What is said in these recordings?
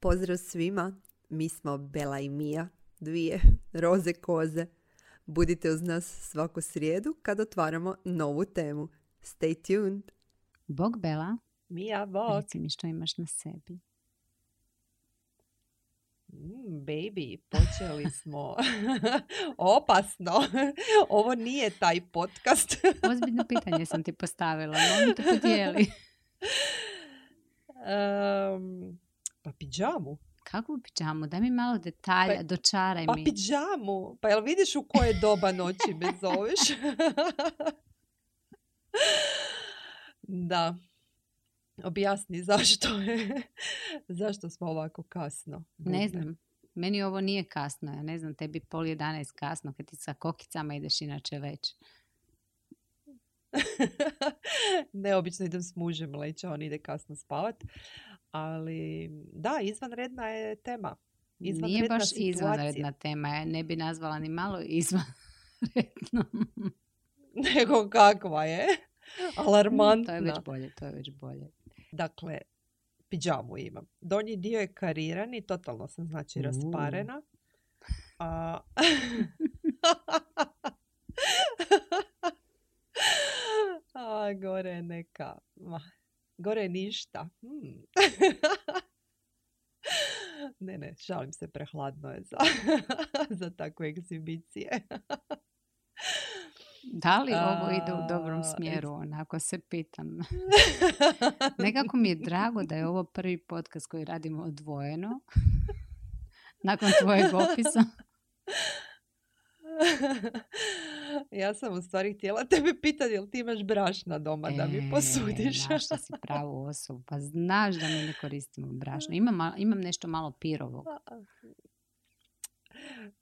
Pozdrav svima, mi smo Bela i Mija, dvije roze koze. Budite uz nas svaku srijedu kad otvaramo novu temu. Stay tuned! Bog Bela, Mija, bok. reci mi što imaš na sebi. Baby, počeli smo. Opasno. Ovo nije taj podcast. Ozbiljno pitanje sam ti postavila, molim te podijeli. Pa pidžamu. Kakvu pidžamu? Daj mi malo detalja, dočaraj Pa mi. pidžamu. Pa jel vidiš u koje doba noći me zoveš? Da. Objasni zašto smo ovako kasno. Ne znam, meni ovo nije kasno. Ja ne znam, tebi 10:30 kasno kad ti sa kokicama ideš inače već. Neobično idem s mužem leći, on ide kasno spavat. Ali da, izvanredna je tema. Nije baš izvanredna tema. Ja ne bi nazvala ni malo izvanredno. Nego kakva je? Alarmantna. To je već bolje. Dakle, pidžamu imam. Donji dio je karirani, totalno sam znači rasparena. A gore je neka... Gore je ništa. Ne, šalim se, prehladno je za takve egzibicije. Da li ovo ide u dobrom smjeru, onako se pitam. Nekako mi je drago da je ovo prvi podcast koji radimo odvojeno. Nakon tvojeg opisa. Ja sam u stvari htjela tebe pitati, jel ti imaš brašna doma da mi posudiš? Našla si pravu osobu. Pa znaš da mi ne koristimo brašno. Imam nešto malo pirovog.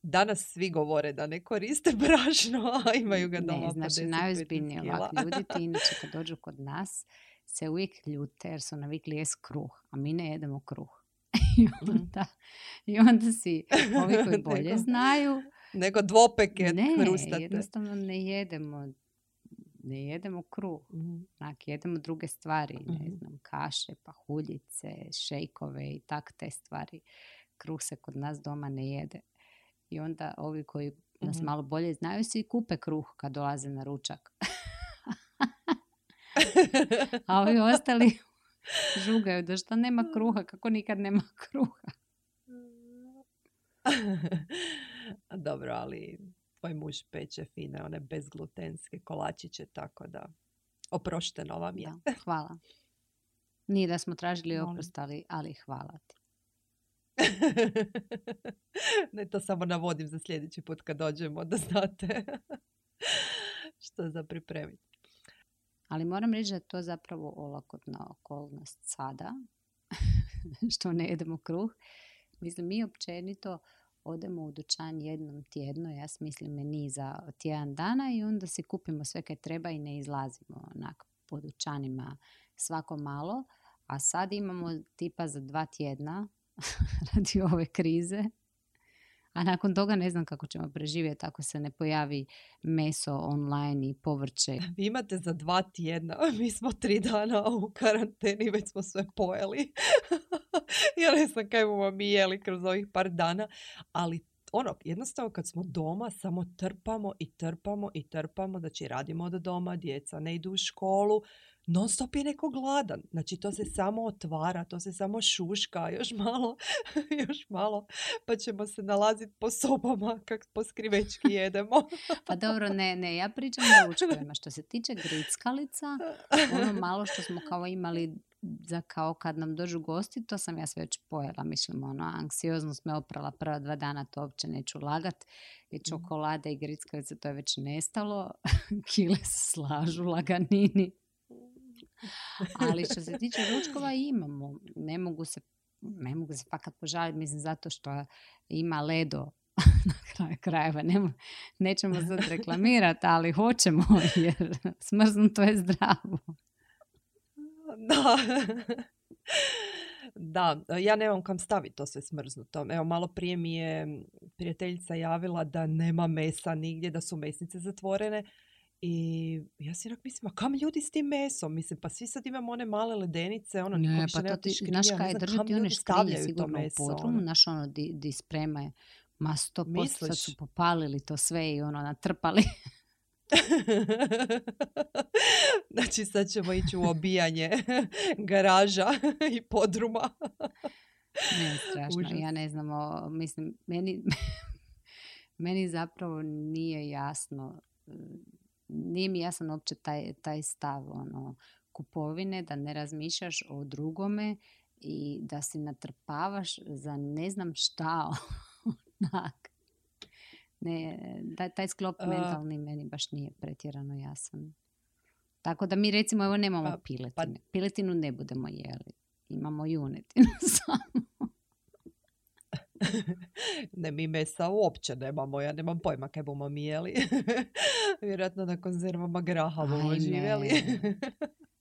Danas svi govore da ne koriste brašno, a imaju ga doma. Ne, znači najozbiljnije ovak ljudi ti inače kad dođu kod nas se uvijek ljute jer su navikli jest kruh, a mi ne jedemo kruh. I onda si ovi koji bolje znaju nego dvopeke hrustate. Ne, jednostavno ne jedemo kruh. Jedemo druge stvari, ne znam, kaše, pahuljice, šejkove i tak te stvari. Kruh se kod nas doma ne jede. I onda ovi koji nas malo bolje znaju si kupe kruh kad dolaze na ručak. A ovi ostali žugaju da što nema kruha, kako nikad nema kruha. Dobro, ali tvoj muž peče fine, one bezglutenske kolačiće, tako da oprošteno vam je. Da, hvala. Nije da smo tražili oprost, ali hvala ti. Ne, to samo navodim za sljedeći put kad dođemo, da znate što za pripremiti. Ali moram reći da je to zapravo olakotna okolnost sada, što ne jedemo kruh. Mislim, mi općenito odemo u dućan jednom tjedno, ja smislim meni za tjedan dana i onda si kupimo sve kaj treba i ne izlazimo onak po dućanima svako malo. A sad imamo tipa za 2 tjedna radi ove krize. A nakon toga ne znam kako ćemo preživjeti ako se ne pojavi meso online i povrće. Vi imate za 2 tjedna, mi smo 3 dana u karanteni, već smo sve pojeli. Ja ne znam kaj bomo mi jeli kroz ovih par dana, ali jednostavno kad smo doma samo trpamo, znači radimo od doma, djeca ne idu u školu, non stop je neko gladan. Znači to se samo otvara, to se samo šuška, još malo, pa ćemo se nalaziti po sobama kak po skrivečki jedemo. Pa dobro, ne, ja pričam o ručkovima. Što se tiče grickalica, ono malo što smo kao imali za kao kad nam dođu gosti, to sam ja sve već pojela. Mislim, anksioznost me oprala prva 2 dana, to uopće neću lagat. I čokolade i grickalice, to je već nestalo. Kile se slažu, laganini. Ali što se tiče ručkova imamo. Ne mogu se fakat požaliti, mislim, zato što ima Ledo na kraju krajeva. Nećemo sad reklamirati, ali hoćemo, jer smrznuto je zdravo. Da, ja nemam kam staviti to sve smrznuto. Evo, malo prije mi je prijateljica javila da nema mesa nigdje, da su mesnice zatvorene. I ja si onak mislim, a kam ljudi s tim mesom? Mislim, pa svi sad imamo one male ledenice, ono, niko Ne, više pa nema to te ti, škrinje, znaš ja ne kaj, znam drže kam ti one ljudi škrinje stavljaju to sigurno u meso, podrumu, ono. znaš ono, di spremaju. Ma 100% sad su Misliš? popalili to sve i ono, natrpali. Znači, sad ćemo ići u obijanje garaža i podruma. Ne, strašno. Užas. Ja ne znam, mislim, meni zapravo nije jasno, nije mi jasan uopće taj stav ono, kupovine, da ne razmišljaš o drugome i da si natrpavaš za ne znam šta. Onak. Ne, taj sklop mentalni meni baš nije pretjerano jasan. Tako da mi recimo evo nemamo piletine. Piletinu ne budemo jeli. Imamo junetinu samo. Ne, mi mesa uopće nemamo, ja nemam pojma kaj bomo mi jeli. Vjerojatno na konzervama graha bomo živjeli.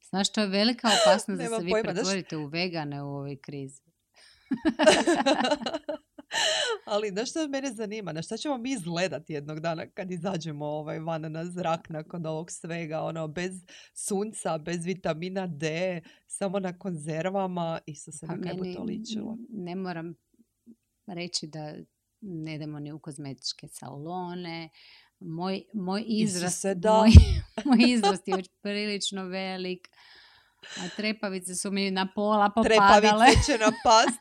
Znaš, to je velika opasnost da se vi pojma, pretvorite u vegane u ovoj krizi. Ali znaš što mene zanima? Na šta ćemo mi izgledati jednog dana kad izađemo van na zrak nakon ovog svega? Ono, bez sunca, bez vitamina D, samo na konzervama. Isuse, na kaj bi to ličilo? Ne moram reći da ne idemo ni u kozmetičke salone. Moj izrast je već prilično velik. A trepavice su mi na pola popadale. Trepavice će napast.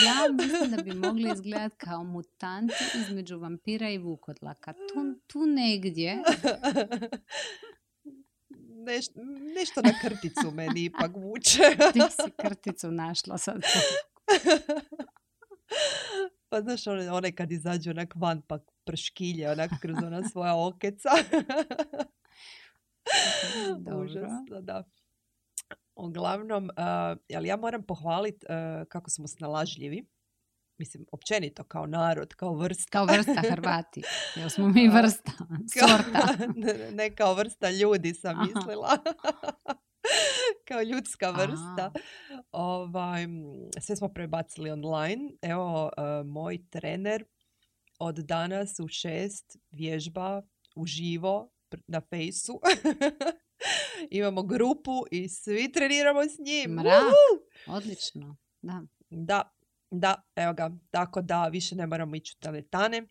Ja mislim da bi mogli izgledati kao mutanti između vampira i vukodlaka. Tu negdje. Nešto na krticu meni ipak vuče. Ti si krticu našla sad. Pa znaš, one kad izađu onak van pa prškilje onak kroz ona svoja okeca. Dobro. Užasno, da. Uglavnom, ali ja moram pohvaliti kako smo snalažljivi. Mislim, općenito, kao narod, kao vrsta. Kao vrsta Hrvati. Jer smo mi vrsta, sorta. Ne kao vrsta ljudi sam mislila. Kao ljudska vrsta. Sve smo prebacili online. Evo, moj trener od danas u 6 vježba uživo na fejsu. Imamo grupu i svi treniramo s njim. Mrak, odlično. Da, evo ga. Tako da više ne moramo ići u teletane.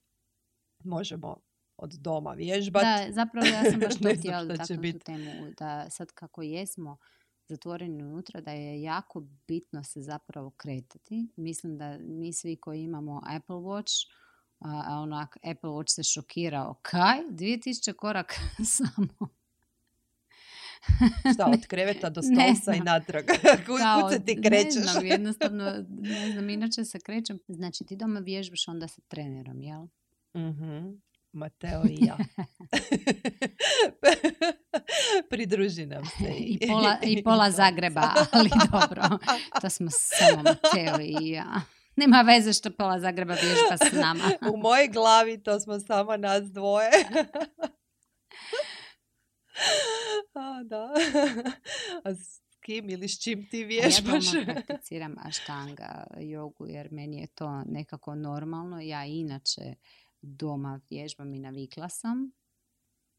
Možemo od doma vježbati. Da, zapravo ja sam baš to htjela dotaknuti tu temu. Da sad kako jesmo zatvoreni unutra, da je jako bitno se zapravo kretati. Mislim da mi svi koji imamo Apple Watch, a onak Apple Watch se šokirao. Kaj? 2000 koraka samo. Šta, od kreveta do stolca i natrag? Kud se ti krećeš? Ne znam, jednostavno, ne znam, inače se krećem. Znači, ti doma vježbaš onda sa trenerom, jel? Mhm. Mateo i ja. Pridruži nam se. I pola Zagreba, ali dobro. To smo samo Mateo i ja. Nema veze što pola Zagreba vježba s nama. U mojoj glavi to smo samo nas dvoje. Da. A s kim ili s čim ti vježbaš? Ja doma prakticiram aštanga jogu jer meni je to nekako normalno. Ja inače doma vježbam i navikla sam.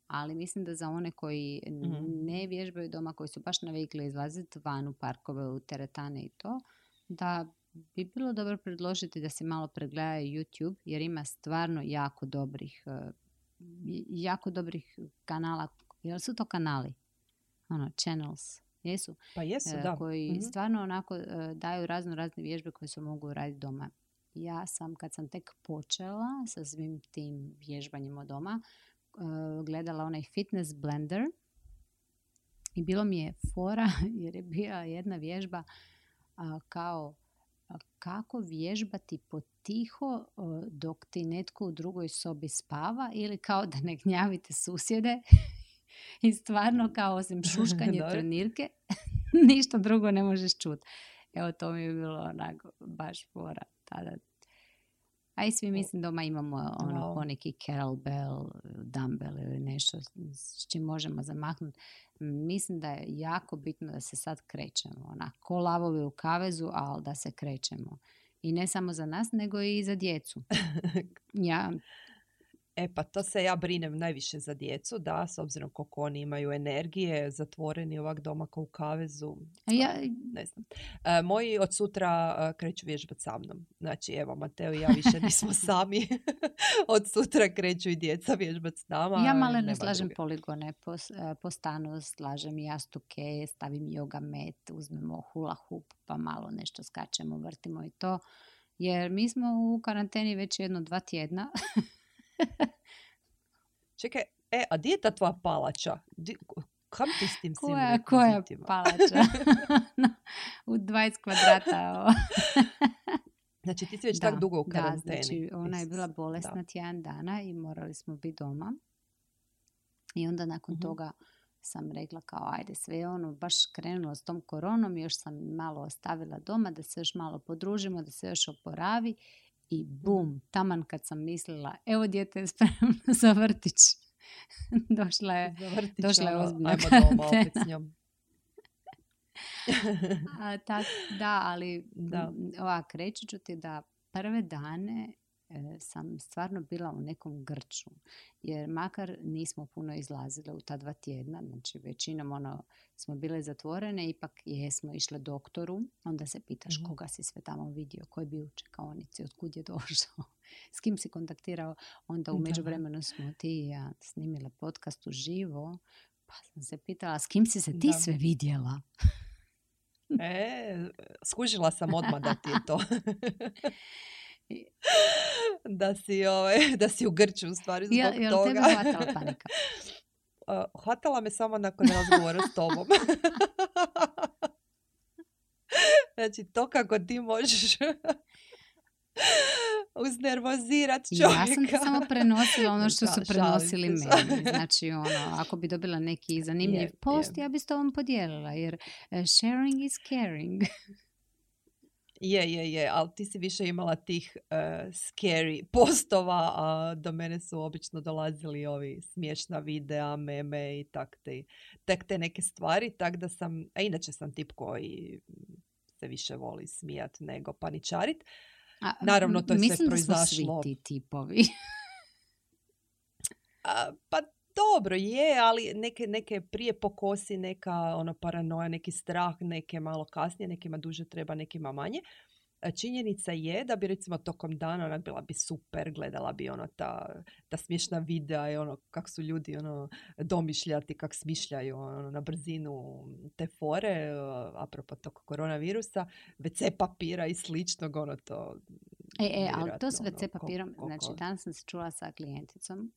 Ali mislim da za one koji ne vježbaju doma, koji su baš navikli izlaziti van u parkove, u teretane i to, da bi bilo dobro predložiti da si malo pregledaju YouTube jer ima stvarno jako dobrih kanala. Jel su to kanali? Channels. Jesu? Pa jesu, da. Koji stvarno onako daju razne vježbe koje se mogu raditi doma. Ja sam, kad sam tek počela sa svim tim vježbanjem od doma, gledala onaj Fitness Blender i bilo mi je fora jer je bila jedna vježba kao kako vježbati potiho dok ti netko u drugoj sobi spava ili kao da ne gnjavite susjede i stvarno kao osim šuškanje trenirke ništa drugo ne možeš čuti. Evo to mi je bilo onako baš fora tada. A i svi mislim doma imamo poneki kettlebell, dumbbell ili nešto s čim možemo zamahnuti. Mislim da je jako bitno da se sad krećemo. Ko lavovi u kavezu, ali da se krećemo. I ne samo za nas, nego i za djecu. Pa to se ja brinem najviše za djecu, da, s obzirom koliko oni imaju energije, zatvoreni ovak doma kao u kavezu, A ja, ne znam. Moji od sutra kreću vježbati sa mnom. Znači, evo, Mateo i ja više nismo sami. Od sutra kreću i djeca vježbati s nama. ja malo ne nema slažem druge. poligone po stanu, slažem jastuke, stavim yoga mat, uzmemo hula hoop, pa malo nešto skačemo, vrtimo i to. Jer mi smo u karanteni već 1-2 tjedna. Čekaj, a di je ta tvoja palača? Kam ti s tim svim Koja rekvizitima? palača? U 20 kvadrata. Znači, ti si već tak dugo u karanteni. Da, znači ona je bila bolesna Da. tjedan dana i morali smo biti doma. I onda nakon toga sam rekla kao ajde sve baš krenulo s tom koronom, još sam malo ostavila doma da se još malo podružimo, da se još oporavi i bum, taman kad sam mislila evo dijete je spremno za vrtić. došla je ozbiljna ajmo doma opet s njom. ali reći ću ti da prve dane sam stvarno bila u nekom grču, jer makar nismo puno izlazile u ta 2 tjedna, znači većinom smo bile zatvorene, ipak jesmo išle doktoru, onda se pitaš koga si sve tamo vidio, ko je bio u čekaonici, otkud je došao, s kim si kontaktirao, onda u međuvremenu smo ti i ja snimile podcast uživo, pa sam se pitala s kim si se ti sve vidjela. Skužila sam odmah da ti je to. da si u grču u stvari zbog toga. Jel tebe hvatala panika? Hvatala me samo nakon razgovora s tobom. Znači, to kako ti možeš uznervozirat čovjeka. Ja sam ti samo prenosila ono što su prenosili meni. Znači, ako bi dobila neki zanimljiv post, ja bi s tobom podijelila, jer sharing is caring. Je, ali ti si više imala tih scary postova, a do mene su obično dolazili ovi smiješna videa, meme i tak te neke stvari, tak da sam, a inače sam tip koji se više voli smijat nego paničarit. Naravno, to je sve proizašlo. Mislim da smo svi ti tipovi. Pa dobro je, ali neke prije pokosi, neka paranoja, neki strah, neke malo kasnije, nekima duže treba, nekima manje. Činjenica je da bi recimo tokom dana onak bila bi super, gledala bi ta smiješna videa i kako su ljudi domišljati, kako smišljaju na brzinu te fore, apropo tog koronavirusa, WC papira i sličnog, to... ali to s WC papirom, znači danas sam se čula sa klijenticom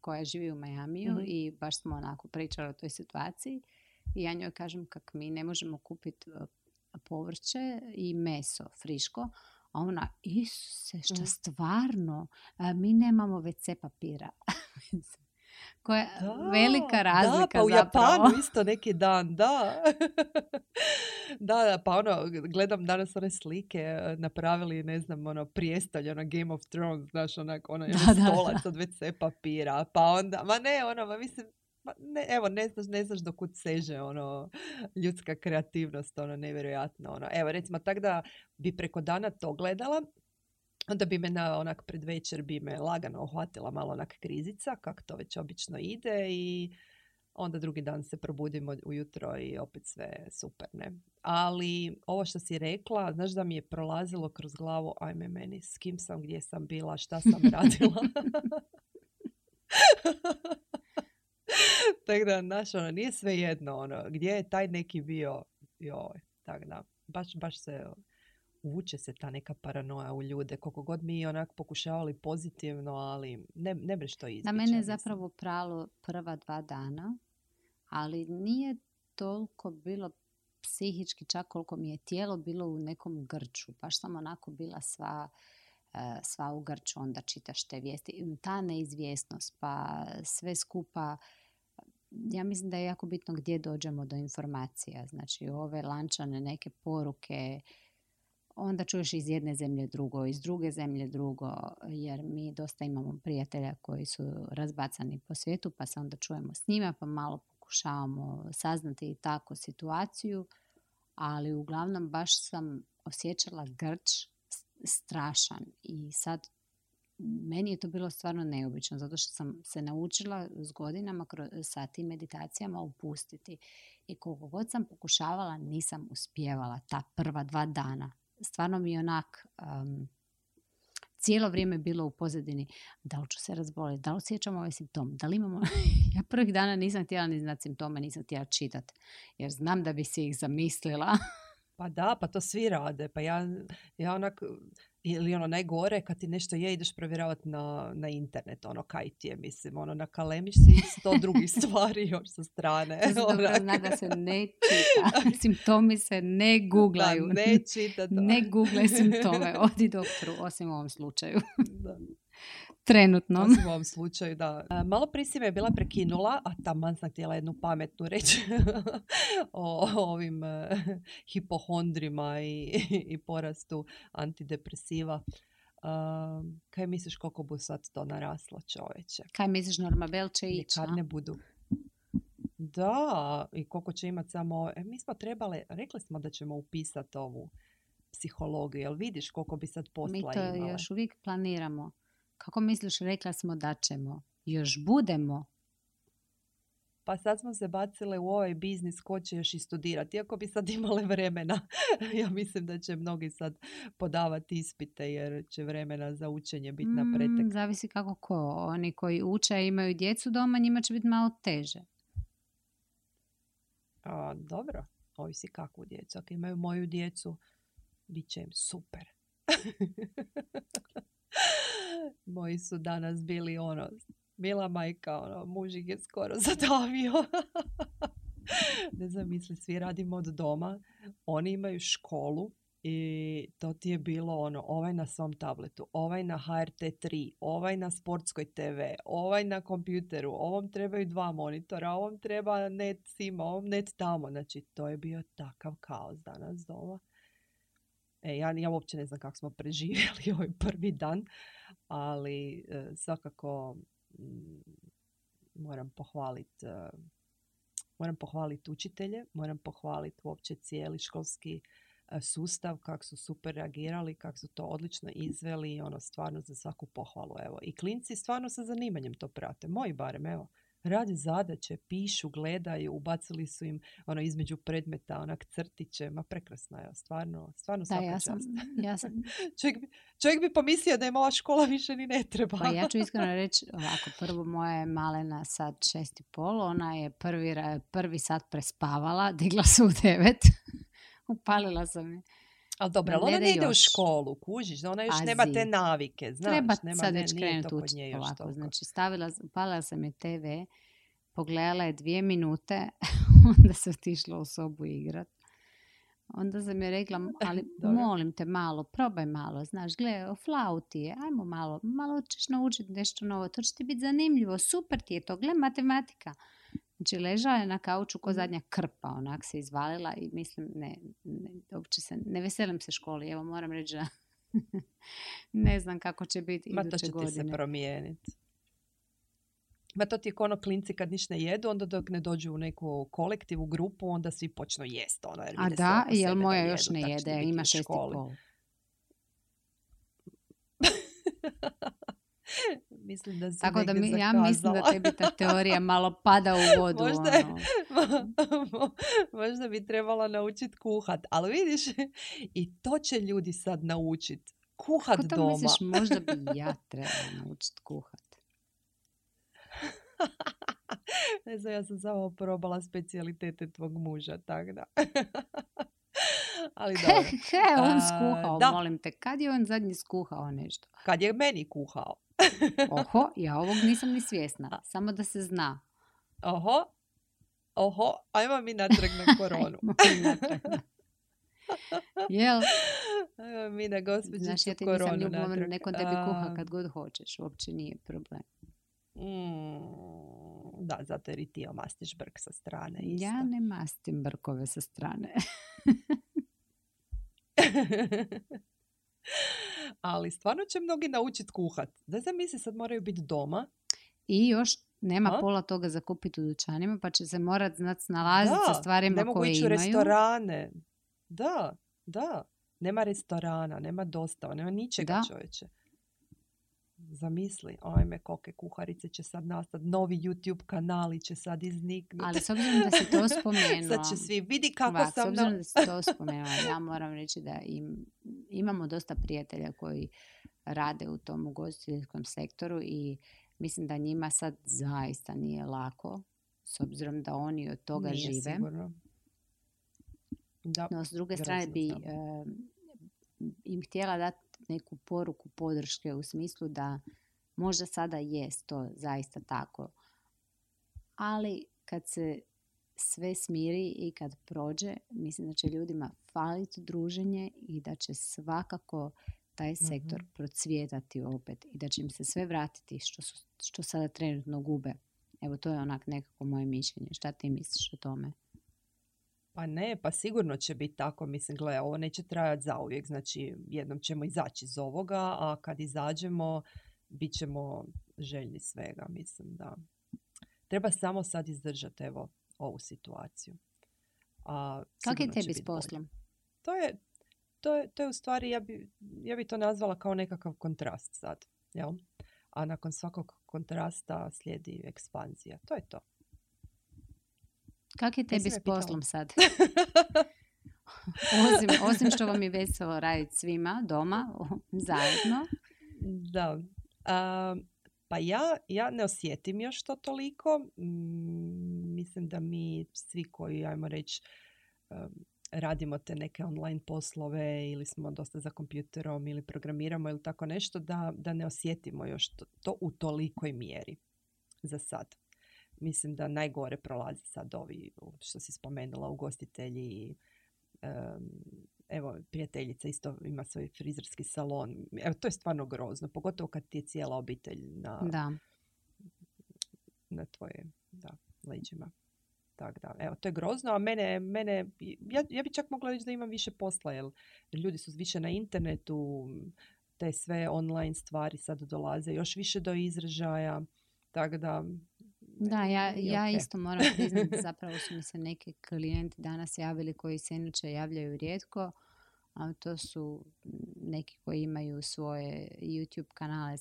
koja živi u Majamiju i baš smo onako pričali o toj situaciji i ja njoj kažem kak mi ne možemo kupiti povrće i meso friško, a ona, Isuse, šta stvarno, mi nemamo WC papira. Koja je velika razlika pa u zapravo. Japanu isto neki dan, da. Da, pa gledam danas one slike, napravili, ne znam, prijestolj, Game of Thrones, znaš, stolac od WC papira, pa onda, mislim, ne znaš do kud seže, ljudska kreativnost, nevjerojatno, Evo, recimo, tak da bi preko dana to gledala, onda bi me pred večer bi me lagano uhvatila malo krizica, kako to već obično ide i onda drugi dan se probudimo ujutro i opet sve super, ne? Ali ovo što si rekla, znaš da mi je prolazilo kroz glavu, ajme meni, s kim sam, gdje sam bila, šta sam radila. Tako da, znaš, nije sve jedno, gdje je taj neki bio, tako da, baš se... Uvuče se ta neka paranoja u ljude, koliko god mi pokušavali pozitivno, ali ne bi što izbjeći. Na mene je zapravo pralo prva 2 dana, ali nije toliko bilo psihički, čak koliko mi je tijelo bilo u nekom grču. Baš sam onako bila sva u grču, onda čitaš te vijesti. Ta neizvjesnost, pa sve skupa. Ja mislim da je jako bitno gdje dođemo do informacija. Znači, ove lančane neke poruke, onda čuješ iz jedne zemlje drugo, iz druge zemlje drugo, jer mi dosta imamo prijatelja koji su razbacani po svijetu, pa se onda čujemo s njima, pa malo pokušavamo saznati i tako situaciju, ali uglavnom baš sam osjećala grč strašan i sad meni je to bilo stvarno neobično, zato što sam se naučila s godinama sa tim meditacijama opustiti. I koliko god sam pokušavala, nisam uspijevala ta prva 2 dana. Stvarno mi je onak... cijelo vrijeme bilo u pozadini da li ću se razboliti, da li osjećam ovaj simptom, da li imamo... Ja prvih dana nisam htjela ni znati simptome, nisam htjela čitati, jer znam da bi si ih zamislila. Pa da, pa to svi rade. Pa ja onak, ili ono najgore, kad ti nešto ideš provjeravati na internet, ono kaj ti je, mislim, ono nakalemiš si 100 drugih stvari još sa strane. To se dobro zna da se ne čita. Simptomi se ne googlaju. Da, ne čita to. Ne googlaj simptome, odi doktoru, osim u ovom slučaju. Da. Trenutno. Osim u ovom slučaju, da. Malo prije si me bila prekinula, a taman sam htjela jednu pametnu reći o ovim hipohondrima i porastu antidepresiva. Kaj misliš koliko bu sad to naraslo, čoveče? Kaj misliš, Normabel će ići? Kad ne budu. Da, i koliko će imati samo... mi smo trebali, rekli smo da ćemo upisati ovu psihologiju, jel vidiš koliko bi sad posla imala? Mi to još uvijek planiramo. Kako misliš, rekla smo da ćemo? Još budemo? Pa sad smo se bacile u ovaj biznis ko će još i studirati. Iako bi sad imale vremena. Ja mislim da će mnogi sad podavati ispite jer će vremena za učenje biti na pretek. Zavisi kako ko. Oni koji uče i imaju djecu doma, njima će biti malo teže. Dobro, ovisi kakvu djecu. Ako imaju moju djecu, bit će im super. Moji su danas bili mila majka, muž ih je skoro zadavio. Ne znam, misli, svi radimo od doma. Oni imaju školu i to ti je bilo ovaj na svom tabletu, ovaj na HRT3, ovaj na sportskoj TV, ovaj na kompjuteru, ovom trebaju 2 monitora, ovom treba net sima, ovom net tamo. Znači, to je bio takav kaos danas doma. Ja uopće ne znam kako smo preživjeli ovaj prvi dan, ali svakako moram pohvaliti učitelje, moram pohvaliti uopće cijeli školski sustav, kako su super reagirali, kako su to odlično izveli i stvarno za svaku pohvalu. Evo. I klinci stvarno sa zanimanjem to prate. Moji barem, evo. Radi zadaće, pišu, gledaju, ubacili su im između predmeta, crtiće, ma prekrasno je, stvarno svaka čast. Ja sam... čovjek bi pomislio da im ova škola više ni ne treba. Pa ja ću iskreno reći, ovako, prvo moja je malena sad 6:30, ona je prvi sat prespavala, digla se u 9, upalila sam je. Ali dobro, ali ona ne ide u školu, kužiš, ona još nema te navike, znaš. Treba nema, sad već krenuti učiti ovako. Toliko. Znači, upalila sam je TV, pogledala je 2 minute, onda se otišla u sobu igrat. Onda sam je rekla, ali molim te malo, probaj malo, znaš, gledaj, o flauti je, ajmo malo ćeš naučiti nešto novo, to će ti biti zanimljivo, super ti je to, gledaj, matematika. Znači, ležala je na kauču ko zadnja krpa, onak se izvalila i mislim, uopće ne veselim se školi, evo moram reći da ne znam kako će biti iduće godine. Ma to će ti se promijeniti. Ma to ti je ono klinci kad niš ne jedu, onda dok ne dođu u neku kolektivu, grupu, onda svi počnu jest. A da, jel moja još ne jede, ima 6:30. Mislim da tako da ja mislim da tebi ta teorija malo pada u vodu. Možda bi trebala naučiti kuhat. Ali vidiš, i to će ljudi sad naučiti. Kuhat doma. Kako to misliš, možda bi ja trebala naučiti kuhat? Ne znam, ja sam samo probala specijalitete tvog muža, tako da. Ali dobro. On skuhao, molim te. Kad je on zadnji skuhao nešto? Kad je meni kuhao. Oho, ja ovog nisam ni svjesna. Samo da se zna. Oho, ajmo mi natrag na koronu. Jel? Ajmo mi na gospođicu koronu. Znaš, ja ti nisam ljubomorna, nekom tebi kuha kad god hoćeš. Uopće nije problem. Da, zato jer i ti mastiš brk sa strane. Isto. Ja ne mastim brkove sa strane. Ali stvarno će mnogi naučiti kuhat. Da zamisli, sad moraju biti doma. I još nema pola toga za kupiti u dućanima, pa će se morat znati snalaziti sa stvarima koje imaju. Ne mogu ići u restorane. Da. Nema restorana, nema dostava, nema ničega, čovječe. Zamisli, ajme, kolike kuharice će sad nastati, novi YouTube kanali će sad izniknuti. Ali s obzirom da si to spomenula, Sad će svi vidi kako ovak, s sam obzirom da si to spomenula, ja moram reći da imamo dosta prijatelja koji rade u tom ugostiteljskom sektoru i mislim da njima sad zaista nije lako, s obzirom da oni od toga Nije žive. sigurno. Da, No, s druge grozno strane bi samo. im htjela dati neku poruku podrške u smislu da možda sada jest to zaista tako, ali kad se sve smiri i kad prođe, mislim da će ljudima faliti druženje i da će svakako taj sektor procvjetati opet i da će im se sve vratiti što sada trenutno gube. Evo, to je onak nekako moje mišljenje. Šta ti misliš o tome? Pa ne, pa sigurno će biti tako. Mislim, gle, ovo neće trajati zauvijek. Znači, jednom ćemo izaći iz ovoga, a kad izađemo, bit ćemo željni svega. Mislim da treba samo sad izdržati, evo, ovu situaciju. Kako je tebi s poslom? To je u stvari, ja bi to nazvala kao nekakav kontrast sad. Jel? A nakon svakog kontrasta slijedi ekspanzija. To je to. Kako je tebi s poslom sad? Osim što vam je veselo raditi svima doma, zajedno. Da. Pa ja ne osjetim još to toliko. Mislim da mi svi koji, ajmo reći, radimo te neke online poslove ili smo dosta za kompjuterom ili programiramo ili tako nešto, da ne osjetimo još to u tolikoj mjeri za sad. Mislim da najgore prolazi sad ovi, što si spomenula, ugostitelji. Evo, prijateljica isto ima svoj frizerski salon. Evo, to je stvarno grozno, pogotovo kad ti je cijela obitelj na tvoje leđima. Tak da, evo, to je grozno, a ja bi čak mogla reći da imam više posla, jer ljudi su više na internetu, te sve online stvari sad dolaze još više do izražaja, tako da... Da, ja isto moram priznati, zapravo su mi se neki klijenti danas javili koji se inače javljaju rijetko, a to su neki koji imaju svoje YouTube kanale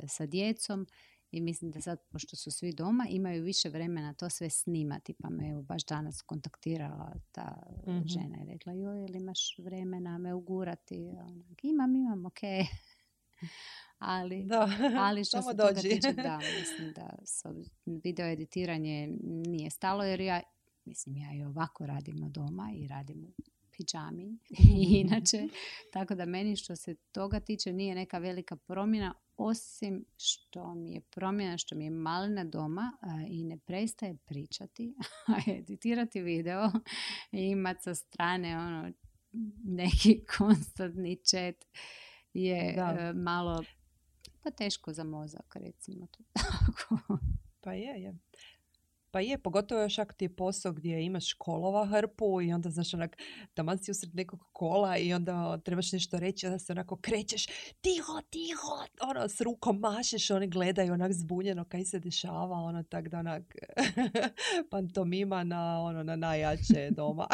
sa djecom i mislim da sad, pošto su svi doma, imaju više vremena to sve snimati, pa me evo baš danas kontaktirala ta žena i rekla, joj, jel imaš vremena me ugurati? Imam, ok. Ali što se toga tiče, da, mislim da video editiranje nije stalo, jer ja i ovako radim od doma i radim u pidžami inače, tako da meni što se toga tiče nije neka velika promjena, osim što mi je promjena što mi je malina doma i ne prestaje pričati, a editirati video i imati sa strane neki konstantni chat je malo pa teško za mozak, recimo to tako. Pa je, pogotovo još ako ti je posao gdje imaš kolova hrpu i onda, znaš, onak, taman si usred nekog kola i onda trebaš nešto reći, onda se onako krećeš, tiho, s rukom mašeš, oni gledaju onak zbunjeno kaj se dešava, tak da onak pantomima na najjače doma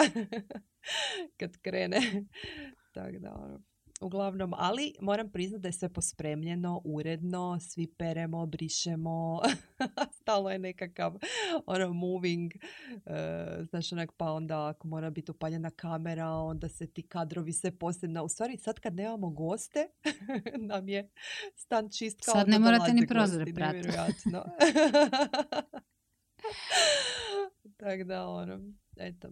kad krene. Tak da, uglavnom, ali moram priznati da je sve pospremljeno, uredno, svi peremo, brišemo, stalno je nekakav moving, znaš onak, pa onda ako mora biti upaljena kamera, onda se ti kadrovi sve posebno. U stvari sad kad nemamo goste, nam je stan čist kao sad ne morate ni prozore pratiti. Tako da, eto.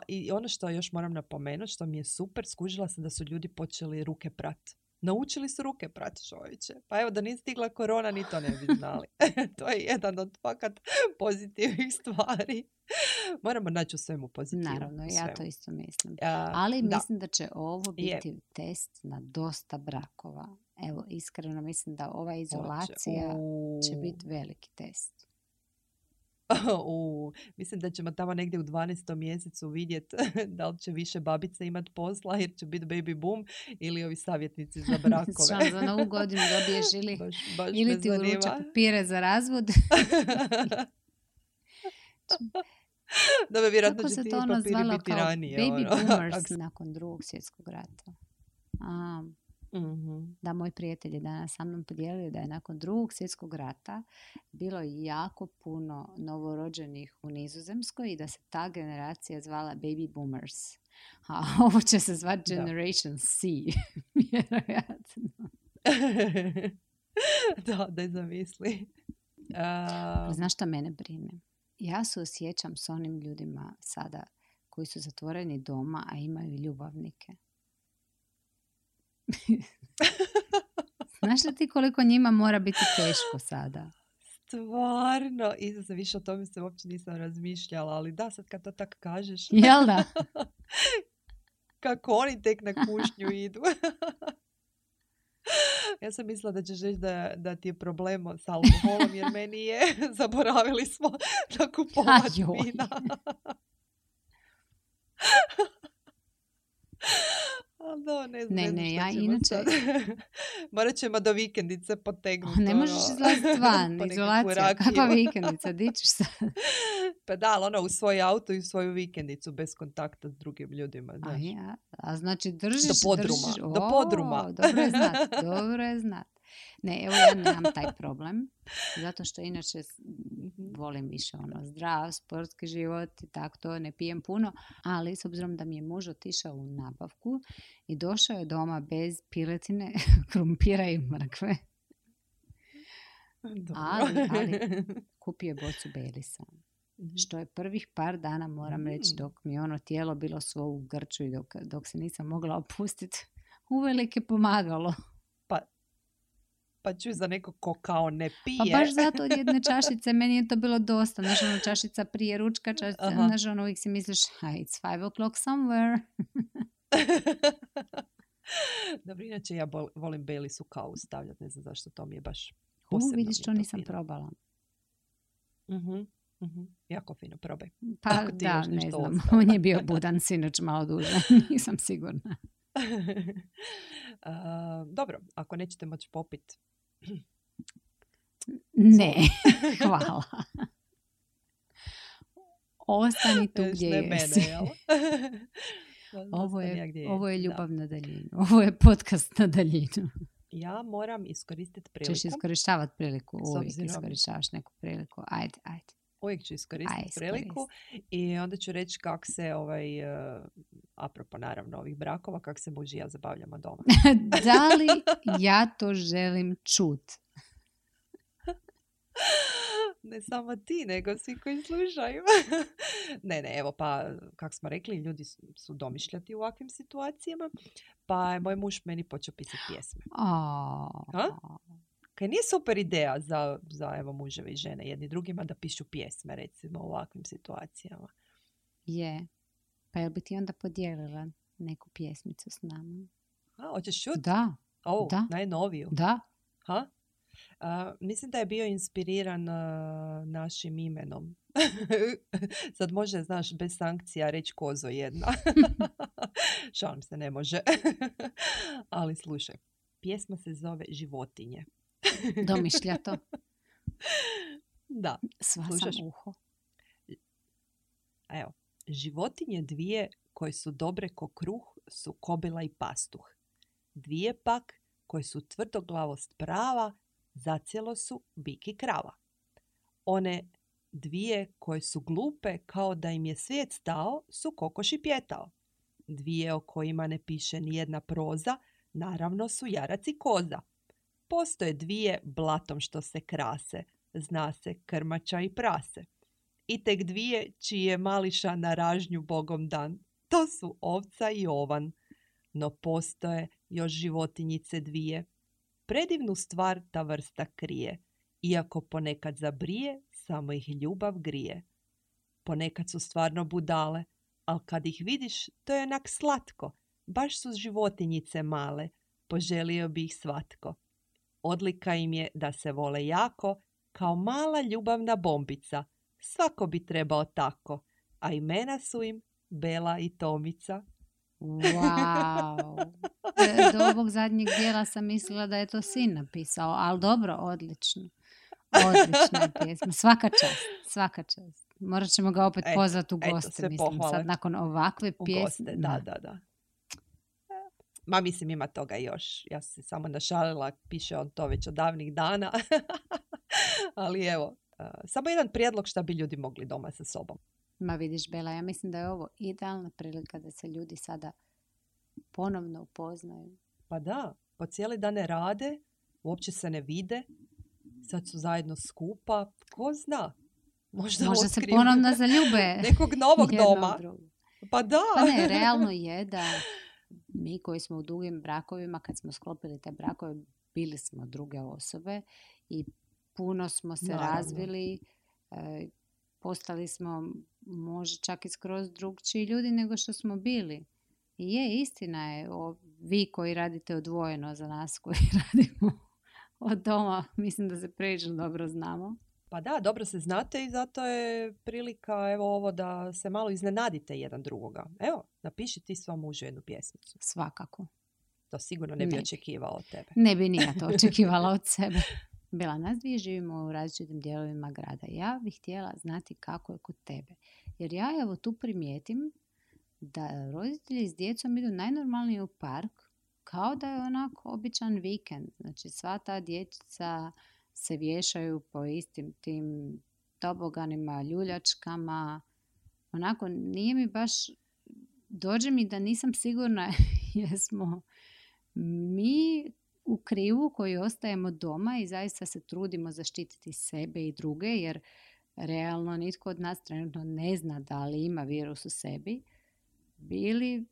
I ono što još moram napomenuti, što mi je super, skužila sam da su ljudi počeli ruke prati. Naučili su ruke prati, čovječe. Pa evo, da nije stigla korona, ni to ne bi znali. To je jedan od fakat pozitivnih stvari. Moramo naći u svemu pozitivu. Naravno, ja to isto mislim. Ali mislim da će ovo biti test na dosta brakova. Evo, iskreno mislim da ova izolacija će biti veliki test. Mislim da ćemo tamo negdje u 12. mjesecu vidjeti da li će više babice imati posla jer će biti baby boom ili ovi savjetnici za brakove. Za novu godinu dobiješ ili ti uruče papire za razvod. Da bi vjerojatno će ti papiri biti ranije. Baby boomers nakon Drugog svjetskog rata. Mhm. Da, moj prijatelj je danas sa mnom podijelio da je nakon Drugog svjetskog rata bilo jako puno novorođenih u Nizozemskoj i da se ta generacija zvala baby boomers. A ovo će se zvati Da. Generation C, vjerojatno. Da je zamisli. Ali znaš šta mene brine? Ja se osjećam s onim ljudima sada koji su zatvoreni doma, a imaju ljubavnike. Znaš li ti koliko njima mora biti teško sada? Stvarno, Isuse, više o tome se uopće nisam razmišljala, ali da, sad kad to tako kažeš, Jel da? kako oni tek na kušnju idu. Ja sam mislila da ćeš reći da ti je problem s alkoholom, jer meni je, zaboravili smo da kupovati Ajoj. vina. No, ne znam Ne, šta ja ćemo inače- sad. Morat ćemo do vikendice potegnuti. Ne možeš izlaziti van, po nekakvu izolacija. rakiju. Kakva vikendica, di ćeš sad? Pa da, ali u svoj auto i u svoju vikendicu bez kontakta s drugim ljudima. A, Znaš. ja, a znači držiš... Do podruma, držiš- do podruma. Dobro je znat, dobro je znat. Ne, evo ja nemam taj problem, zato što inače volim više zdrav, sportski život i tako to, ne pijem puno, ali s obzirom da mi je muž otišao u nabavku i došao je doma bez piletine, krumpira i mrkve, Dobro. ali kupio je bocu Baileysa. Što je prvih par dana, moram reći, dok mi je ono tijelo bilo svo u grču i dok se nisam mogla opustiti, uvelike pomagalo. Pa čuj za nekog ko kao ne pije. Pa baš zato od jedne čašice meni je to bilo dosta. Znaš, ono, čašica prije ručka, čašica, Aha. znaš, ono, uvijek si misliš, it's 5 o'clock somewhere. Dobro, inače ja volim Baileys u kavu stavljati, ne znam zašto, to mi je baš posebno. Vidiš, mi je to nisam fino. probala. Jako fino, probaj. Pa Ako ti da, još ne nešto znam. ostalo. On je bio budan sinoć malo duže. Nisam sigurna. Dobro, ako nećete moći popit. Ne, hvala. Ostani tu gdje ne jesi. mene, jel? Ovo je ljubav na daljinu. Ovo je podcast na daljinu. Ja moram iskoristiti priliku. Ćeš iskorištavati priliku. S Uvijek obzirom- iskorištavaš neku priliku. Ajde. Uvijek ću iskoristiti Aj, priliku i onda ću reći kako se apropo naravno ovih brakova, kako se muž i ja zabavljamo doma. Da li ja to želim čut? Ne samo ti, nego svi koji slušaju. Ne, evo pa, kako smo rekli, ljudi su domišljati u ovakvim situacijama, pa je moj muž meni počeo pisati pjesme. Kaj nije super ideja za evo muževe i žene jedni drugima da pišu pjesme, recimo, u ovakvim situacijama. Je. Pa jel bi ti onda podijelila neku pjesmicu s nama? Hoćeš čuti? Da. Da. Najnoviju. Da. Ha? Mislim da je bio inspiriran našim imenom. Sad može, znaš, bez sankcija reći kozo jedna. Šalim se, ne može. Ali slušaj, pjesma se zove Životinje. Domišlja to. Da. Sva Slušaš? sam uho. Evo, životinje dvije koje su dobre ko kruh su kobila i pastuh. Dvije pak koje su tvrdoglavost prava, zacijelo su bik i krava. One dvije koje su glupe kao da im je svijet stao su kokoš i pjetao. Dvije o kojima ne piše ni jedna proza, naravno su jarac i koza. Postoje dvije blatom što se krase, zna se krmača i prase. I tek dvije čiji je mališa na ražnju Bogom dan, to su ovca i ovan. No postoje još životinjice dvije. Predivnu stvar ta vrsta krije, iako ponekad zabrije, samo ih ljubav grije. Ponekad su stvarno budale, ali kad ih vidiš, to je onak slatko. Baš su životinjice male, poželio bi ih svatko. Odlika im je da se vole jako, kao mala ljubavna bombica. Svako bi trebao tako, a imena su im Bela i Tomica. Wow. Do ovog zadnjeg dijela sam mislila da je to sin napisao, ali dobro, odlično. Odlična je pjesma. Svaka čast. Morat ćemo ga opet pozvati u goste, sve mislim, pohvale. sad nakon ovakve U pjesme. goste, da. Ma mislim ima toga još. Ja sam se samo našalila, piše on to već od davnih dana. Ali evo, samo jedan prijedlog šta bi ljudi mogli doma sa sobom. Ma vidiš, Bela, ja mislim da je ovo idealna prilika da se ljudi sada ponovno upoznaju. Pa da, po cijeli dan ne rade, uopće se ne vide, sad su zajedno skupa, ko zna. Možda se otkriju ponovno zaljube. nekog novog doma. Pa da. Pa ne, realno je da mi koji smo u dugim brakovima, kad smo sklopili te brakove, bili smo druge osobe i puno smo se razvili, postali smo možda čak i skroz drugčiji ljudi nego što smo bili. I je, istina je, vi koji radite odvojeno za nas koji radimo od doma, mislim da se prilično dobro znamo. Pa da, dobro se znate i zato je prilika evo ovo da se malo iznenadite jedan drugoga. Evo, napiši ti svom mužu jednu pjesmicu. Svakako. To sigurno ne bi očekivao od tebe. Ne bi ni ja to očekivala od sebe. Bila, nas dvije živimo u različitim dijelovima grada. Ja bih htjela znati kako je kod tebe. Jer ja evo tu primijetim da roditelji s djecom idu najnormalnije u park kao da je onako običan vikend. Znači sva ta dječica se vješaju po istim tim toboganima, ljuljačkama. Onako, nije mi baš, dođe mi da nisam sigurna jesmo mi u krivu koji ostajemo doma i zaista se trudimo zaštititi sebe i druge, jer realno nitko od nas trenutno ne zna da li ima virus u sebi. Bili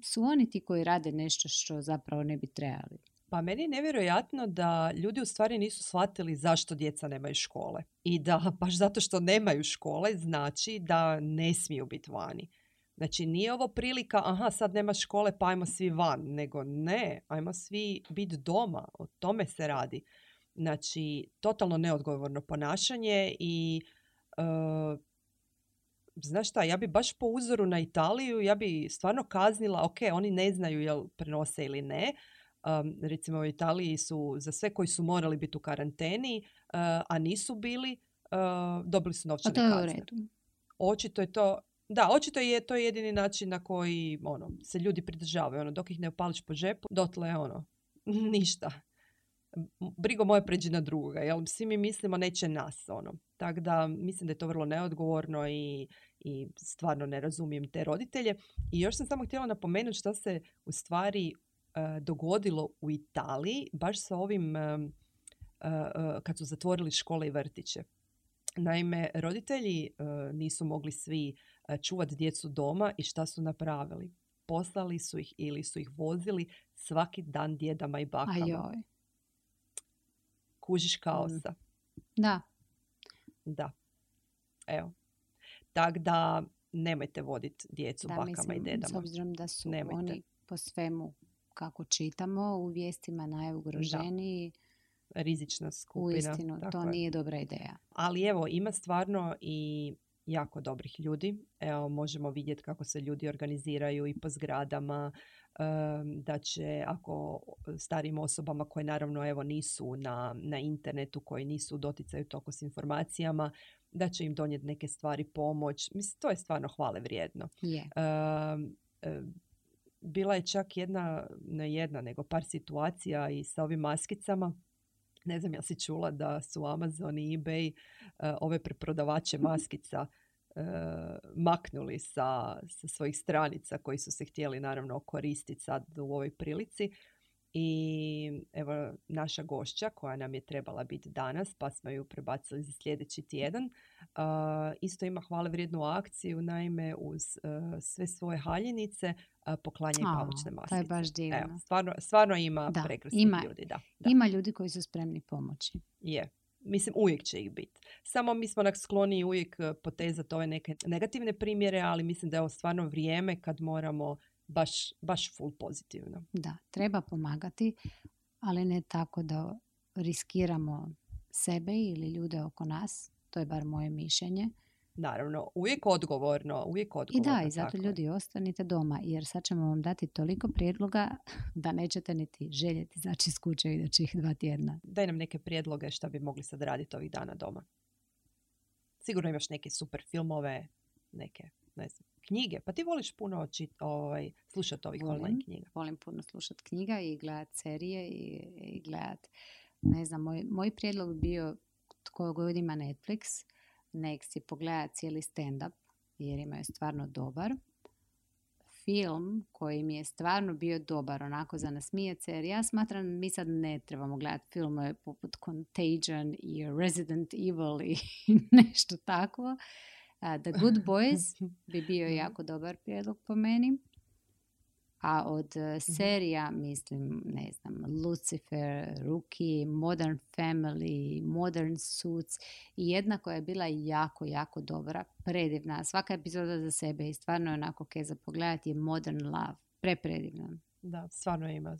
su oni ti koji rade nešto što zapravo ne bi trebali. Pa meni je nevjerojatno da ljudi u stvari nisu shvatili zašto djeca nemaju škole. I da baš zato što nemaju škole znači da ne smiju biti vani. Znači nije ovo prilika, aha sad nema škole pa ajmo svi van, nego ne, ajmo svi biti doma, o tome se radi. Znači totalno neodgovorno ponašanje i znaš šta, ja bi baš po uzoru na Italiju, ja bi stvarno kaznila, ok, oni ne znaju jel prenose ili ne. Recimo u Italiji su za sve koji su morali biti u karanteni, a nisu bili, dobili su novčane kazne. A to je u redu. Očito je to, da, očito je to jedini način na koji se ljudi pridržavaju. Dok ih ne opališ po žepu, dotle ništa. Brigo moje pređi na drugoga, jel? Svi mi mislimo neće nas, Tako da mislim da je to vrlo neodgovorno i stvarno ne razumijem te roditelje. I još sam samo htjela napomenuti što se u stvari dogodilo u Italiji, baš sa ovim kad su zatvorili škole i vrtiće. Naime, roditelji nisu mogli svi čuvati djecu doma i šta su napravili? Poslali su ih ili su ih vozili svaki dan djedama i bakama. Ajoj. Kužiš kaosa. Da. Da. Evo. Tako da nemojte voditi djecu bakama i dedama. S obzirom da su nemojte. Oni po svemu kako čitamo u vijestima najugroženiji. Da. Rizična skupina. Uistinu, to nije dobra ideja. Ali evo, ima stvarno i jako dobrih ljudi. Evo, možemo vidjeti kako se ljudi organiziraju i po zgradama, da će ako starijim osobama koje naravno evo nisu na internetu, koji nisu u doticaju toliko s informacijama, da će im donijeti neke stvari pomoć. Mislim, to je stvarno hvale vrijedno. Yeah. Bila je čak nego par situacija i sa ovim maskicama. Ne znam, ja si čula da su Amazon i eBay ove preprodavače maskica maknuli sa svojih stranica koji su se htjeli naravno koristiti sad u ovoj prilici. I evo naša gošća koja nam je trebala biti danas, pa smo ju prebacili za sljedeći tjedan, isto ima hvale vrijednu akciju, naime uz sve svoje haljinice poklanja i pamučne maskice. To je baš divno. Evo, stvarno ima prekrasnih ljudi. Da. Ima ljudi koji su spremni pomoći. Je. Mislim, uvijek će ih biti. Samo mi smo skloni uvijek potezati ove neke negativne primjere, ali mislim da je ovo stvarno vrijeme kad moramo baš full pozitivno. Da, treba pomagati, ali ne tako da riskiramo sebe ili ljude oko nas. To je bar moje mišljenje. Naravno, uvijek odgovorno. I da, i zato ljudi ostanite doma, jer sad ćemo vam dati toliko prijedloga da nećete niti željeti izaći iz kuće idućih 2 tjedna. Daj nam neke prijedloge šta bi mogli sad raditi ovih dana doma. Sigurno imaš neke super filmove, neke, ne znam. knjige. Pa ti voliš puno slušati ovih online knjiga. Volim puno slušati knjiga i gledati serije i gledati, ne znam, moj prijedlog bio tko god ima Netflix, nek si pogleda cijeli stand-up, jer imaju stvarno dobar film koji mi je stvarno bio dobar, onako za nasmijat se, jer ja smatram mi sad ne trebamo gledati filmove poput Contagion i Resident Evil i nešto takvo. The Good Boys bi bio jako dobar prijedlog po meni. A od serija, mislim, ne znam, Lucifer, Rookie, Modern Family, Modern Suits i jedna koja je bila jako, jako dobra, predivna. Svaka epizoda za sebe i stvarno je onako kaj za pogledati je Modern Love. Predivna. Da, stvarno ima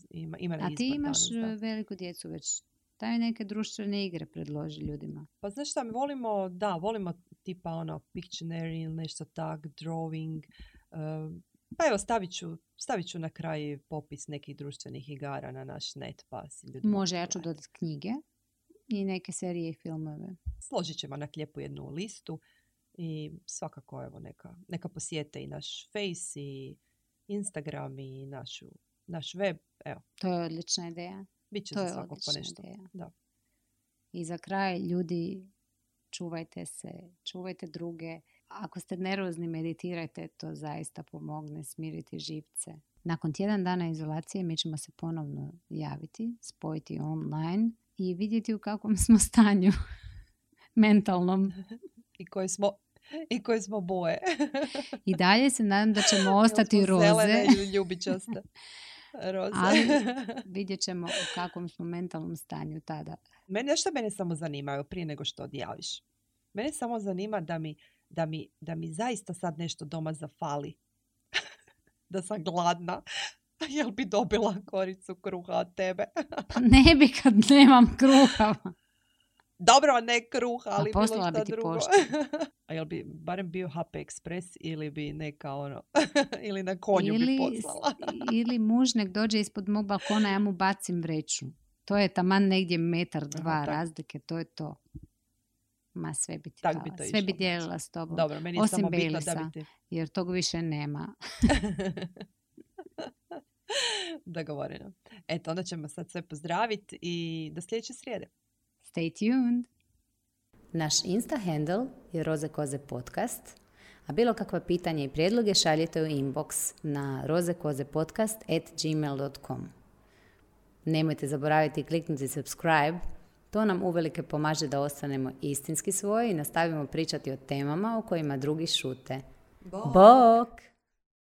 a ti imaš veliku djecu već. Daj neke društvene igre predloži ljudima. Pa znaš šta, mi volimo tipa ono Pictionary ili nešto tak, drawing. Pa evo, stavit ću na kraj popis nekih društvenih igara na naš net, pa si ljudi... Može, ja ću dodati knjige i neke serije i filmove. Složit ćemo na lijepu jednu listu i svakako evo neka posjete i naš Face i Instagram i naš web. Evo. To je odlična ideja. Biće za svakog po nešto. Da. I za kraj, ljudi, čuvajte se, čuvajte druge. Ako ste nervozni, meditirajte, to zaista pomogne smiriti živce. Nakon tjedan dana izolacije mi ćemo se ponovno javiti, spojiti online i vidjeti u kakvom smo stanju mentalnom. I koje smo boje. I dalje se nadam da ćemo ostati roze. Zelene ili ljubičaste. Roze. Ali vidjet ćemo u kakvom smo mentalnom stanju tada. Mene samo zanima, prije nego što odjaviš. Mene samo zanima da mi zaista sad nešto doma zafali. Da sam gladna. Jel bi dobila koricu kruha od tebe? Pa ne bi kad nemam kruha. Dobro, ne kruha, ali bilo šta drugo. A jel bi barem bio HP Express ili bi neka ili na konju bi poslala? Ili muž nek dođe ispod mog balkona, ja mu bacim vreću. To je taman negdje 1-2 metra razlike, to je to. Ma sve bi ti pala. Sve bi dijelila s tobom. Dobro, meni je osim samo bitno Baileysa, da bi ti... jer tog više nema. Dogovoreno. Eto, onda ćemo sad sve pozdraviti i do sljedeće srijede. Stay tuned. Naš Insta handle je Roze Koze podcast, a bilo kakva pitanja i prijedloge šaljite u inbox na rozekozepodcast@gmail.com. Nemojte zaboraviti kliknuti subscribe, to nam uvelike pomaže da ostanemo istinski svoji i nastavimo pričati o temama o kojima drugi šute. Bok!